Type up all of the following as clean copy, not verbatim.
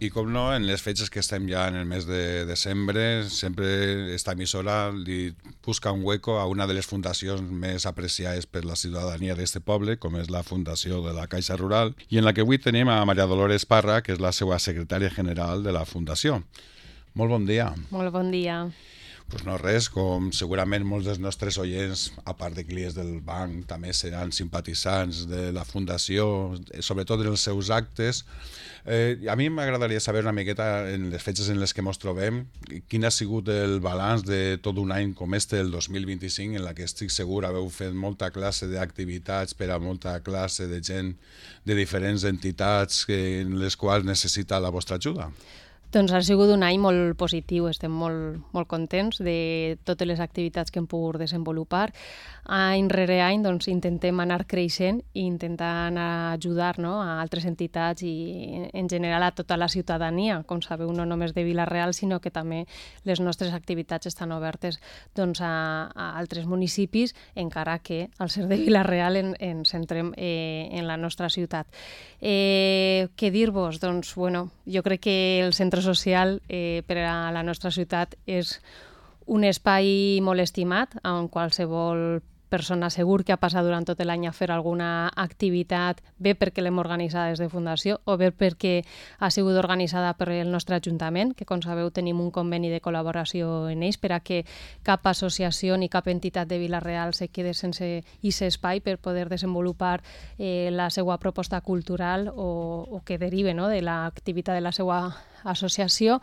I com no, en les fetges que estem ja en el mes de desembre, sempre esta emissora li busca un hueco a una de les fundacions més apreciades per la ciutadania d'este poble, com és la Fundació de la Caixa Rural, i en la que avui tenim a Maria Dolores Parra, que és la seva secretària general de la Fundació. Molt bon dia. Molt bon dia. Pues no res, com segurament molts dels nostres oients, a part de clients del banc, també seran simpatitzants de la Fundació, sobretot en els seus actes. A mi m'agradaria saber una miqueta, en les fetges en les que ens trobem, quin ha sigut el balanç de tot un any com este, el 2025, en la que estic segur haveu fet molta classe d'activitats per a molta classe de gent de diferents entitats en les quals necessita la vostra ajuda. Doncs ha sigut un any molt positiu, estem molt contents de totes les activitats que hem pogut desenvolupar. Any rere any intentem anar creixent i intentar ajudar a altres entitats i en general a tota la ciutadania. Com sabeu, no només de Vila-real, sinó que també les nostres activitats estan obertes a altres municipis, encara que al ser de Vila-real ens centrem en la nostra ciutat. Què dir-vos? Doncs, jo crec que el centre social per a la nostra ciutat és un espai molt estimat on qualsevol persona segur que ha passat durant tot l'any a fer alguna activitat, bé perquè l'hem organitzada des de Fundació o bé perquè ha sigut organitzada per el nostre Ajuntament, que com sabeu tenim un conveni de col·laboració en ells per a que cap associació ni cap entitat de Vila-real se quede sense aquest espai per poder desenvolupar la seva proposta cultural o que derive de l'activitat de la seva associació.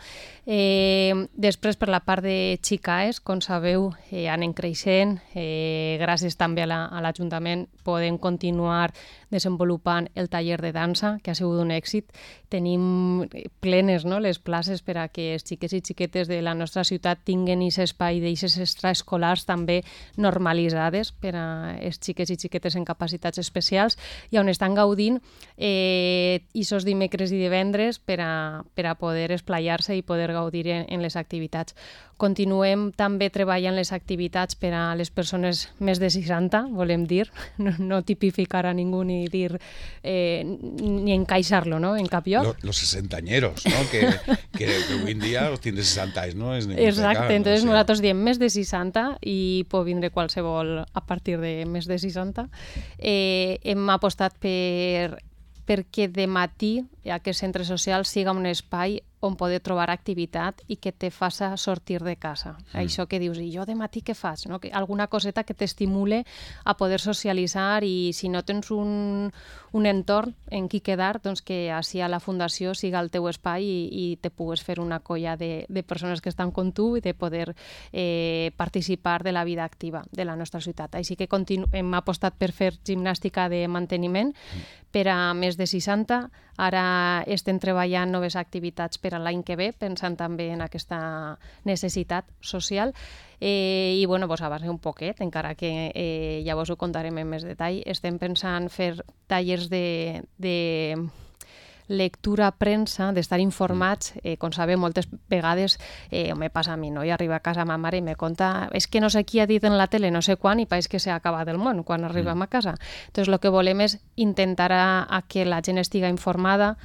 Després, per la part de Xicaes, com sabeu, anem creixent. Gràcies també a l'Ajuntament podem continuar desenvolupant el taller de dansa, que ha sigut un èxit. Tenim plenes les places per a que els xiquets i xiquetes de la nostra ciutat tinguin aquest espai d'aixes extraescolars també normalitzades per a els xiquets i xiquetes en capacitats especials i on estan gaudint aquests dimecres i divendres per a poder esplaiar-se i poder gaudir en les activitats. Continuem també treballant les activitats per a les persones més de 60, volem dir, no tipificar a ningú ni dir ni encaixar-lo en cap lloc. Los sesentañeros, ¿no? que hoy en día los tiene 60 anys, ¿no? Exacte, entonces nosaltres diem més de 60 i pot vindre qualsevol a partir de més de 60. Hem apostat perquè de matí aquest centre social siga un espai on poder trobar activitat i que te faça sortir de casa. Això que dius, i jo de matí què faig? No? Alguna coseta que t'estimule a poder socialitzar i si no tens un entorn en qui quedar, doncs que així a la Fundació siga el teu espai i te pugues fer una colla de persones que estan com tu i de poder participar de la vida activa de la nostra ciutat. Així que hem apostat per fer gimnàstica de manteniment per a més de 60. Ara estem treballant noves activitats per a l'any que ve, pensant també en aquesta necessitat social. I vos avancé un poquet, encara que ja vos ho contarem en més detall. Estem pensant fer tallers de lectura, premsa, d'estar informats. Com sabeu, moltes vegades me passa a mi, no? I arriba a casa ma mare i me conta és que no sé qui ha dit en la tele no sé quan i pareix que s'ha acabat el món quan arribem a casa. Entonces, el que volem és intentar a que la gent estigui informada,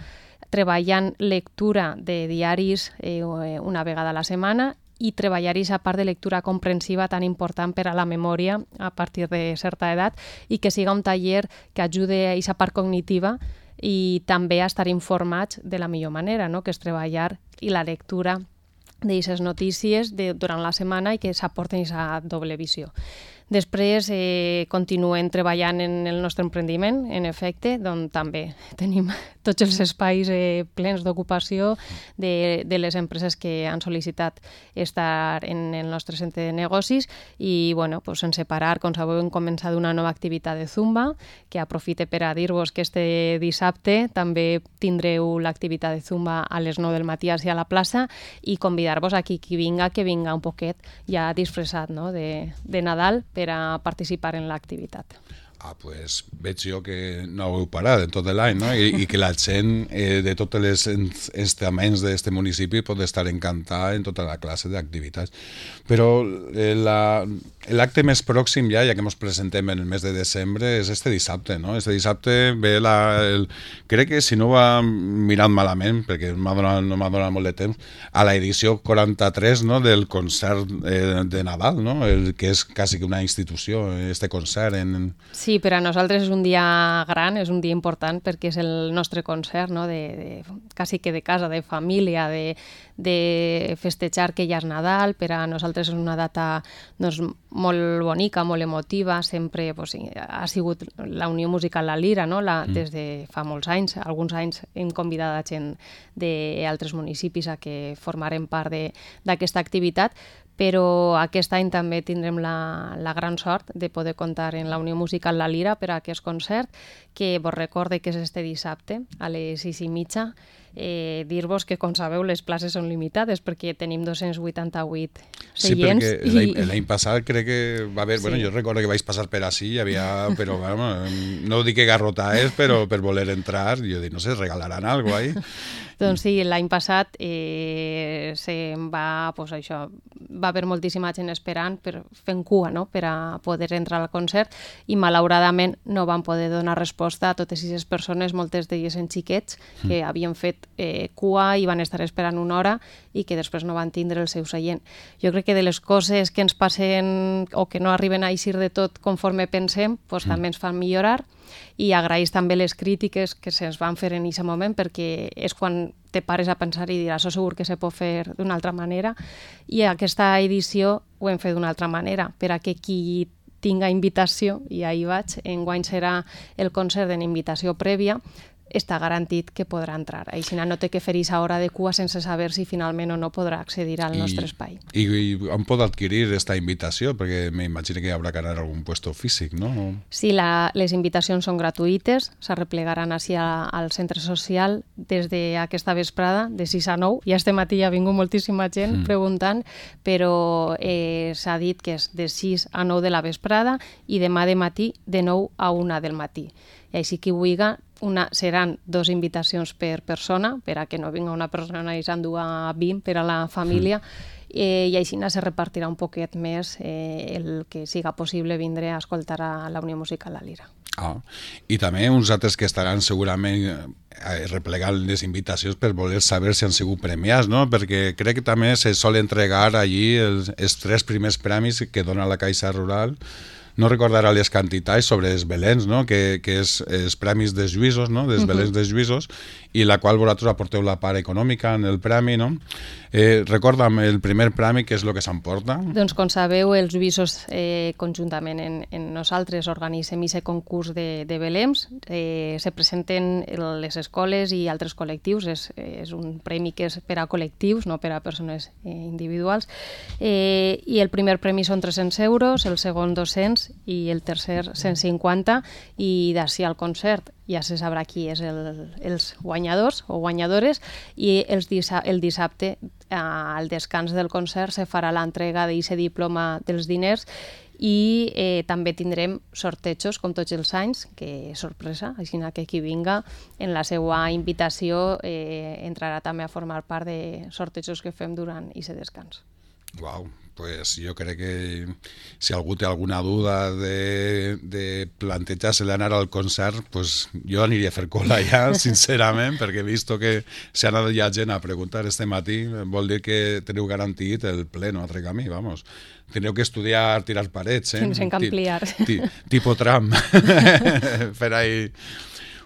treballant lectura de diaris una vegada a la setmana i treballar aquesta part de lectura comprensiva tan important per a la memòria a partir de certa edat i que siga un taller que ajude a aquesta part cognitiva i també a estar informats de la millor manera, no? Que és treballar i la lectura d'aquestes notícies durant la setmana i que s'aporten aquesta doble visió. Després continuem treballant en el nostre emprendiment, en efecte, on també tenim tots els espais plens d'ocupació de les empreses que han sol·licitat estar en el nostre centre de negocis i, sense parar, com sabeu, hem començat una nova activitat de Zumba, que aprofite per a dir-vos que este dissabte també tindreu l'activitat de Zumba a les 9 del matí a la plaça i convidar-vos a qui vinga, que vinga un poquet ja disfressat de Nadal per a participar en l'activitat. Pues veig jo que no heu parat en tot l'any, no? I que la gent de tots els estaments d'aquest municipi pot estar encantada en tota la classe d'activitats. Però l'acte més pròxim ja que ens presentem en el mes de desembre és este dissabte, no? Este dissabte ve crec que si no ho he mirat malament, perquè no m'ha donat molt de temps, a l'edició 43, no? Del concert de Nadal, no? Que és quasi que una institució, este concert Sí, per a nosaltres és un dia gran, és un dia important perquè és el nostre concert, no? Quasi que de casa, de família, de festejar que ja és Nadal. Per a nosaltres és una data doncs, molt bonica, molt emotiva, sempre ha sigut la Unió Musical La Lira, no? Des de fa molts anys. Alguns anys hem convidat a gent d'altres municipis a que formaren part d'aquesta activitat, però aquest any també tindrem la gran sort de poder comptar en la Unió Musical La Lira per a aquest concert, que vos recorde que és este dissabte a les 6:30. Dir-vos que, com sabeu, les places són limitades perquè tenim 288 seients. Sí, perquè l'any passat crec que va haver... Sí. Bueno, jo recordo que vaig passar per ací, hi havia... Però, no dic que garrotaes, però per voler entrar, jo dic, no sé, regalaran alguna cosa ahí? Doncs sí, l'any passat va haver moltíssima gent esperant fent cua, no? Per a poder entrar al concert, i malauradament no van poder donar resposta a totes aquestes persones, moltes d'elles en xiquets, que havien fet cua i van estar esperant una hora i que després no van tindre el seu seient. Jo crec que de les coses que ens passen o que no arriben a eixir de tot conforme pensem, doncs també ens fan millorar, i agraeix també les crítiques que se'ns van fer en aquest moment, perquè és quan te pares a pensar i diràs, segur que se pot fer d'una altra manera, i aquesta edició ho hem fet d'una altra manera, per a que qui tinga invitació, i ahir vaig, enguany serà el concert en invitació prèvia, està garantit que podrà entrar. Així no té que fer aquesta hora de cua sense saber si finalment o no podrà accedir al nostre espai. I on pot adquirir aquesta invitació? Perquè m'imagino que hi haurà que anar a algun puesto físic, no? Sí, les invitacions són gratuïtes, s'arreplegaran així al centre social des d'aquesta vesprada, de 6 a 9. Ja este matí ha vingut moltíssima gent preguntant, però s'ha dit que és de 6 a 9 de la vesprada i demà de matí de 9 a 1 del matí. I així qui vulgui, seran 2 invitacions per persona, per a que no vinga una persona i s'endú a 20 per a la família, i així se repartirà un poquet més el que siga possible vindre a escoltar a la Unió Musical La Lira. I també uns altres que estaran segurament replegant les invitacions per voler saber si han sigut premiats, no? Perquè crec que també se sol entregar allí els 3 primers premis que dona la Caixa Rural. No recordar les quantitats sobre els Belens, no? Que és els premis dels Lluïsos, no? Dels Belens dels Lluïsos, i la qual vosaltres aporteu la part econòmica en el premi, no? Recorda'm el primer premi, què és el que s'emporta? Doncs, com sabeu, els Lluïsos conjuntament en nosaltres organitzem aquest concurs de Belems. Se presenten les escoles i altres col·lectius. És un premi que és per a col·lectius, no per a persones individuals. I el primer premi són 300 euros, el segon 200 i el tercer 150, i d'ací al concert ja se sabrà qui és els guanyadors o guanyadores, i el dissabte, al descans del concert, se farà l'entrega d'aquest diploma dels diners, i també tindrem sortejos, com tots els anys, que és sorpresa, així que qui vinga en la seva invitació entrarà també a formar part de sortejos que fem durant aquest descans. Uau, pues jo crec que si algú té alguna duda de plantejar-se d'anar al concert, pues jo aniria a fer cola ja, sincerament, perquè he vist que s'ha anat ja gent a preguntar este matí, vol dir que teniu garantit el ple, no altre camí, vamos. Teniu que estudiar tirar parets, Tens que ampliar. Tipo tram. Per ahí...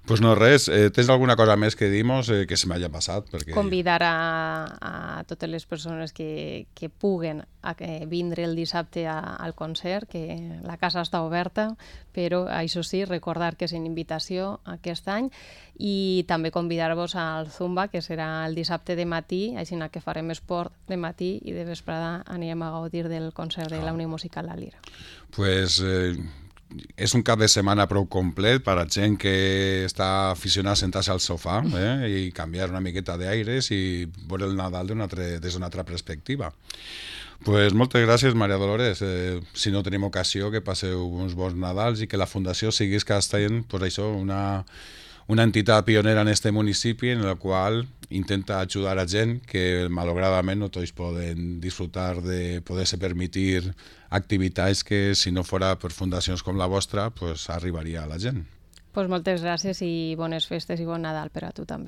Pues no, res. Tens alguna cosa més que dir-nos que se m'hagi passat? Perquè... Convidar a totes les persones que puguen a vindre el dissabte al concert, que la casa està oberta, però això sí, recordar que és una invitació aquest any, i també convidar-vos al Zumba, que serà el dissabte de matí, així que farem esport de matí i de vesprada anirem a gaudir del concert de la Unió Musical La Lira. Pues... és un cap de setmana prou complet per a gent que està aficionada a sentar-se al sofà i canviar una miqueta d'aires i veure el Nadal des d'una altra perspectiva. Pues moltes gràcies, Maria Dolores. Si no tenim ocasió, que passeu uns bons Nadals i que la Fundació siguis cada any, pues això, una entitat pionera en este municipi en la qual intenta ajudar a gent que malauradament no tots poden disfrutar de poder-se permitir activitats que si no fora per fundacions com la vostra pues arribaria a la gent. Pues moltes gràcies i bones festes i bon Nadal per a tu també.